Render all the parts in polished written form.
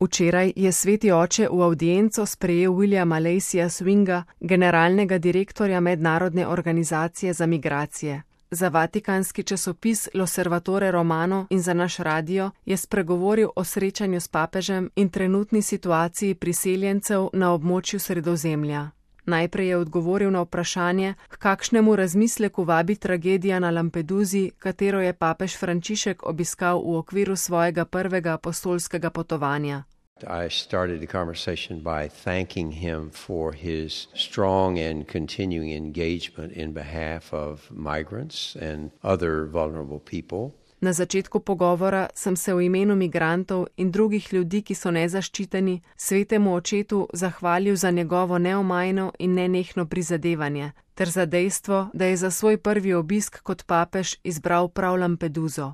Včeraj je sveti oče v avdienco sprejel Williama Laceyja Swinga, generalnega direktorja Mednarodne organizacije za migracije. Za vatikanski časopis L'Osservatore Romano in za naš radio je spregovoril o srečanju s papežem in trenutni situaciji priseljencev na območju Sredozemlja. Najprej je odgovoril na vprašanje, k kakšnemu razmisleku vabi tragedija na Lampedusi, katero je papež Frančišek obiskal v okviru svojega prvega apostolskega potovanja. I started the conversation by thanking him for his strong and continuing engagement in behalf of migrants and other vulnerable people. Na začetku pogovora sem se v imenu migrantov in drugih ljudi, ki so nezaščiteni, svetemu očetu zahvalil za njegovo neomajno in nenehno prizadevanje, ter za dejstvo, da je za svoj prvi obisk kot papež izbral prav Lampeduso.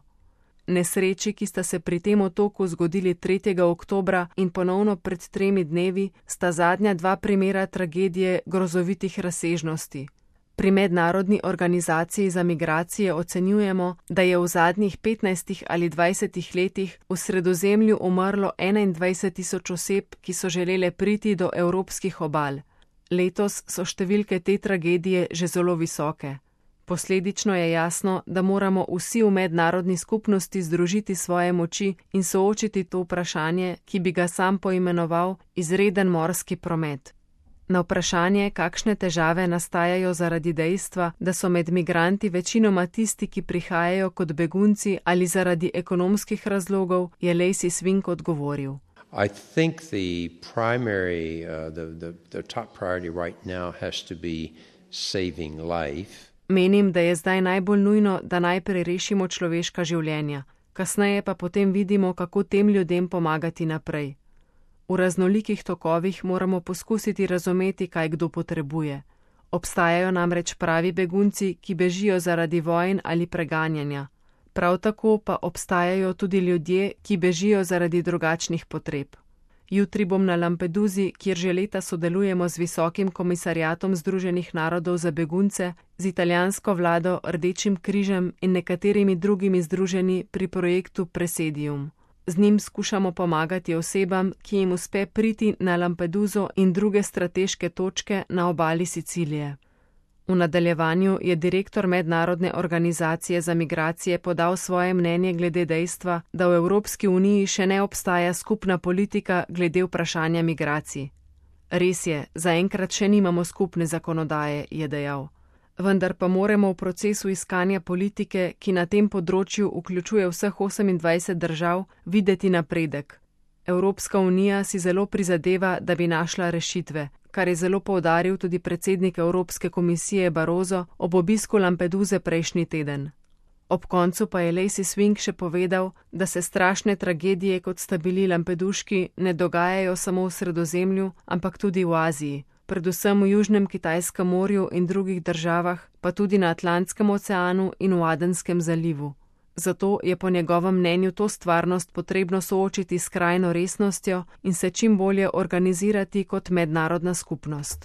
Nesreči, ki sta se pri tem otoku zgodili 3. oktobra in ponovno pred 3 dnevi, sta zadnja 2 primera tragedije grozovitih razsežnosti. Pri Mednarodni organizaciji za migracije ocenjujemo, da je v zadnjih 15 ali 20 letih v Sredozemlju umrlo 21.000 oseb, ki so želele priti do evropskih obal. Letos so številke te tragedije že zelo visoke. Posledično je jasno, da moramo vsi v mednarodni skupnosti združiti svoje moči in soočiti to vprašanje, ki bi ga sam poimenoval izreden morski promet. Na vprašanje, kakšne težave nastajajo zaradi dejstva, da so med migranti večinoma tisti, ki prihajajo kot begunci ali zaradi ekonomskih razlogov, je Lacey Swing odgovoril. I think the top priority right now has to be saving life. Menim, da je zdaj najbolj nujno, da najprej rešimo človeška življenja, kasneje pa potem vidimo, kako tem ljudem pomagati naprej. V raznolikih tokovih moramo poskusiti razumeti, kaj kdo potrebuje. Obstajajo namreč pravi begunci, ki bežijo zaradi vojn ali preganjanja. Prav tako pa obstajajo tudi ljudje, ki bežijo zaradi drugačnih potreb. Jutri bom na Lampedusi, kjer že leta sodelujemo z Visokim komisariatom Združenih narodov za begunce, z italijansko vlado, Rdečim križem in nekaterimi drugimi združeni pri projektu Presidium. Z njim skušamo pomagati osebam, ki jim uspe priti na Lampeduso in druge strateške točke na obali Sicilije. V nadaljevanju je direktor Mednarodne organizacije za migracije podal svoje mnenje glede dejstva, da v Evropski uniji še ne obstaja skupna politika glede vprašanja migracij. Res je, zaenkrat še nimamo skupne zakonodaje, je dejal. Vendar pa moramo v procesu iskanja politike, ki na tem področju vključuje vseh 28 držav, videti napredek. Evropska unija si zelo prizadeva, da bi našla rešitve, kar je zelo poudaril tudi predsednik Evropske komisije Barroso ob obisku Lampeduse prejšnji teden. Ob koncu pa je Lacey Swing še povedal, da se strašne tragedije, kot sta bili lampeduški, ne dogajajo samo v Sredozemlju, ampak tudi v Aziji, predvsem v Južnem Kitajskem morju in drugih državah, pa tudi na Atlantskem oceanu in v Adenskem zalivu. Zato je po njegovem mnenju to stvarnost potrebno soočiti s skrajno resnostjo in se čim bolje organizirati kot mednarodna skupnost.